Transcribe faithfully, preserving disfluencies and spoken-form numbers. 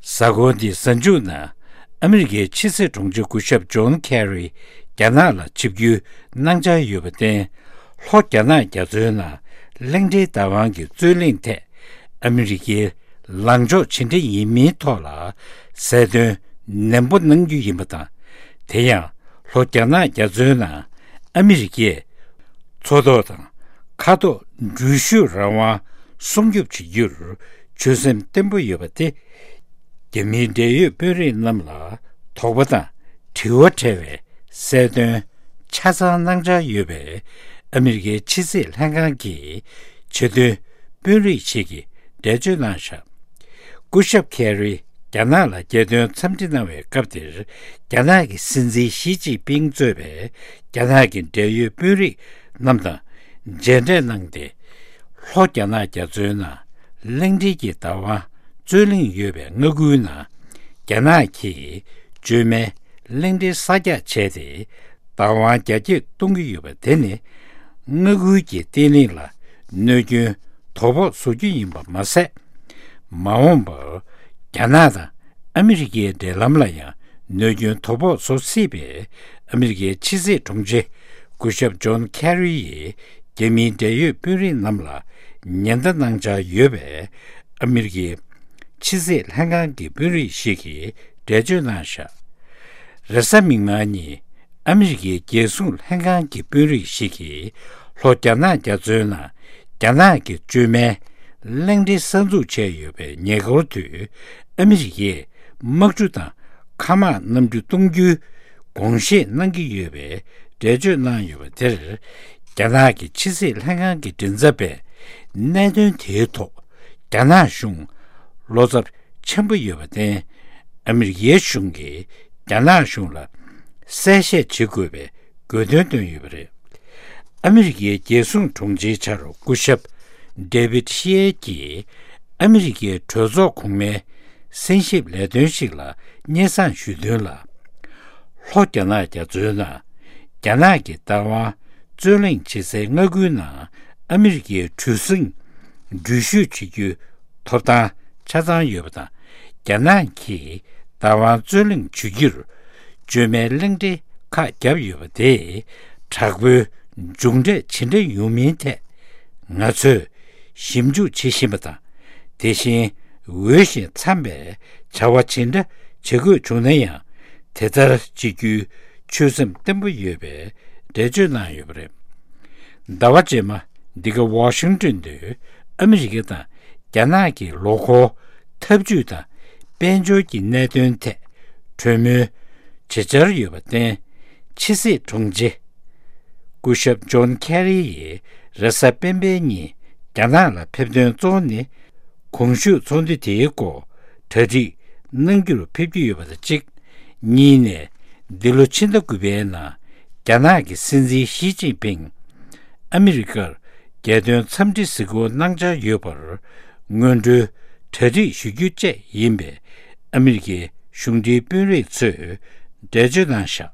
གཟའ་འཁོར་འདིའི་གཟའ་མཇུག་ན་ཨ་མི་རི་ཀའི་ཕྱི་སྲིད་དྲུང་ཆེ་སྐུ་ཞབས་ཇོན་ཁེ་རི་རྒྱ་ནག་ལ་ཆིབས་བསྒྱུར་གནང་འཆར་ཡོད་པར་བརྟེན། ལྷོ་རྒྱ་ནག་རྒྱ་མཚོའི་ནང་གླིང་ཕྲན་བདག་དབང་གི་རྩོད་གླེང་ཐད་ཨ་མི་རི་ཀའི་ལངས་ཕྱོགས་ཇི་འདྲ་ཡིན་མིན་ཐོག་ལ་གསལ་སྟོན་ནན་པོ་གནང་རྒྱུ་ཡིན་པ་དང་། དེ་ཡང་ལྷོ་རྒྱ་ནག་རྒྱ་མཚོའི་ནང་ཨ་མི་རི་ཀས་མཚོ་ཐོག་དང་མཁའ་ཐོག་འགྲུལ་བཞུད་རང་དབང་སྲུང་སྐྱོབ་བྱེད་རྒྱུར་ཆོད་སེམས་བརྟན་པོ་ཡོད་པ་དེ། རྒྱ་མིའི་འབྲེལ་ཡོད་དཔོན་རིགས་རྣམས་ལ་དོགས་པ་དང་དྲི་བ་བྲལ་བའི་གསལ་སྟོན་ཆ་ཚང་གནང་འཆར་ཡོད་པའི་ཨ་མི་རི་ཀའི་ཕྱི་སྲིད་ལྷན་ཁང་གི་ཆེས་མཐོའི་དཔོན་རིགས་ཤིག་གིས་འགྲེལ་བརྗོད་གནང་བཞག་སྐུ་ཞབས་ཁེ་རི་རྒྱ་ནག་ལ་རྒྱལ་དོན་འཚམས་འདྲི་གནང་བའི་སྐབས་དེར། རྒྱ་ནག་གི་སྲིད་འཛིན་ཞི་ཅིན་ཕིང་གཙོས་པའི་རྒྱ་ནག་གི་འབྲེལ་ཡོད་དཔོན་རིགས་རྣམས་དང་མཇལ་འཕྲད་གནང་སྟེ། ལྷོ་རྒྱ་ནག་རྒྱ་མཚོའི་ནང་གླིང་ཕྲན་གྱི་བདག་དབང་རྩོད་གླེང་ཡོད་པའི་མངའ་ཁུལ་ནང་རྒྱ་ནག་གིས་བཅོས་མའི་གླིང་ཕྲན་གསར་རྒྱག་བྱས་ཏེ། བདག་དབང་རྒྱ་སྐྱེད་གཏོང་གི་ཡོད་པ་དེ་ནི་མངའ་ཁུལ་གྱི་བརྟན་ལྷིང་ལ་གནོད་སྐྱོན་དོ་ཕོག་བཟོ་རྒྱུ་ཡིན་པ་མ་ཟད། མ་འོངས་པར་རྒྱ་ནག་དང་ཨ་མི་རི་ཀའི་འབྲེལ་ལམ་ལ་ཡང་གནོད་སྐྱོན་དོ་ཕོག་བཟོ་སྲིད་པས། ཨ་མི་རི་ཀའི་ཕྱི་སྲིད་དྲུང་ཆེ་སྐུ་ཞབས་ཇོན་ཁེ་རི་ཡིས་རྒྱ་མིའི་འབྲེལ་ཡོད་དཔོན་རིགས་རྣམས་ལ་ཉེན་བརྡ་གནང་འཆར་ཡོད་པས། ཨ་མི་རི་ཀའི་ཕྱི་སྲིད་ལྷན་ཁང་གི་དཔོན་རིགས་ཤིག་གིས་འགྲེལ་བརྗོད་གནང་བཞག་རེས་གཟའ་མིག་དམར་ཉིན་ཨ་མི་རི་ཀའི་རྒྱལ་སྲུང་ལྷན་ཁང་གི་དཔོན་རིགས་ཤིག་གིས་ལྷོ་རྒྱ་ནག་རྒྱ་མཚོའི་ནང་རྒྱ་ནག་གི་བཅོས་མའི་གླིང་ཕྲན་གསར་འཛུགས་བྱས་ཡོད་པའི་ཉེ་འཁོར་དུ་ཨ་མི་རི་ཀས་དམག་གྲུ་དང་མཁའ་དམག་གནམ་གྲུ་གཏོང་རྒྱུའི་དགོངས་བཞེས་གནང་གི་ཡོད་པའི་འགྲེལ་བརྗོད་གནང་ཡོད་པ་དེར། རྒྱ་ནག་གི་ཕྱི་སྲིད་ལྷན་ཁང་གི་མགྲིན་ཚབ་པས་གནད་དོན་དེའི་ཐོག་རྒྱ་ནག་གཞུང་བློ་འཚབ་ཆེན་པོ་ཡོད་པར་བརྟེན། ཨ་མི་རི་ཀའི་གཞུང་གིས་རྒྱ་ནག་གཞུང་ལ་གསལ་བཤད་བྱེད་དགོས་པའི་དགོས་འདུན་བཏོན་ཡོད་པ་རེད། ཨ་མི་རི་ཀའི་རྒྱལ་སྲུང་དྲུང་ཆེའི་ཕྱག་རོགས་སྐུ་ཞབས་ཌེ་བིད་ཤི་ཨེ་ཀྱིས་ཨ་མི་རི་ཀའི་གྲོས་ཚོགས་གོང་མའི་གསན་ཞིབ་ལས་དོན་ཞིག་ལ་སྙན་སེང་ཞུས་དོན་ལ། ལྷོ་རྒྱ་ནག་རྒྱ་མཚོའི་ནང་རྒྱ་ནག་གི་བདག་དབང་རྩོད་གླེང་བྱེད་སའི་མངའ་ཁུལ་ནང་ཨ་མི་རི་ཀའི་གྲུ་གཟིངས་འགྲུལ་བཞུད་བྱེད་རྒྱུའི་ཐོབ་ཐང་ཆ་ཚང་ཡོད་པ་དང་། རྒྱ་ནག་གིས་བདག་དབང་རྩོད་གླེང་བྱེད་རྒྱུར་བཅོས་མའི་གླིང་ཕྲན་ཁག་བརྒྱབ་ཡོད་པ་དེས་དྲག་པོའི་མཇུག་འབྲས་ཇི་འདྲ་ཡོང་མིན་ཐད་ང་ཚོས་ཞིབ་འཇུག་བྱེད་བཞིན་པ་དང་། དེ་བཞིན་འོས་ཤིང་འཚམ་པའི་བྱ་བ་ཇི་འདྲ་བྱེད་དགོས་བྱུང་ན་ཡང་དེ་ལྟར་བྱེད་རྒྱུའི་ཆོད་སེམས་བརྟན་པོ་ཡོད་པའི་འགྲེལ་བརྗོད་གནང་ཡོད་པ་རེད། ཟླ་བ་རྗེས་མ་འདི་ག་ཝ་ཤིང་ཏོན་དུ་ཨ་མི་རི་ཀ་དང་རྒྱ་ནག་གི་ལོ་འཁོར་འཐབ་ཇུས་དང་དཔལ་འབྱོར་གྱི་གནད་དོན་ཐད་གྲོས་མོལ་བྱེད་འཆར་ཡོད་པར་བརྟེན། ཕྱི་སྲིད་དྲུང་ཆེ་སྐུ་ཞབས་ཇོན་ཁེ་རི་ཡིས་རེས་གཟའ་སྤེན་པའི་ཉིན་རྒྱ་ནག་ལ་ཕེབས་དོན་གཙོ་བོ་ནི། གོང་ཞུས་ཚོགས་འདུ་དེའི་སྐོར་གྲ་སྒྲིག་གནང་རྒྱུར་ཕེབས་ཀྱི་ཡོད་པ་དང་གཅིག་གཉིས་ནས། འདི་ལོ་ཕྱི་ཟླ་དགུ་པའི་ནང་རྒྱ་ནག་གི་སྲིད་འཛིན་ཞི་ཅིན་ཕིང་ཨ་མི་རི་ཀར་རྒྱལ་དོན་འཚམས་འདྲི་གཟིགས་སྐོར་གནང་འཆར་ཡོད་པར་སྔོན་འགྲོའི་གྲ་སྒྲིག་ཞུ་རྒྱུ་བཅས་ཡིན་པའི་ཨ་མི་རི་ཀའི་གཞུང་འབྲེལ་དཔོན་རིགས་ཚོས་འགྲེལ་བརྗོད་གནང་བཞག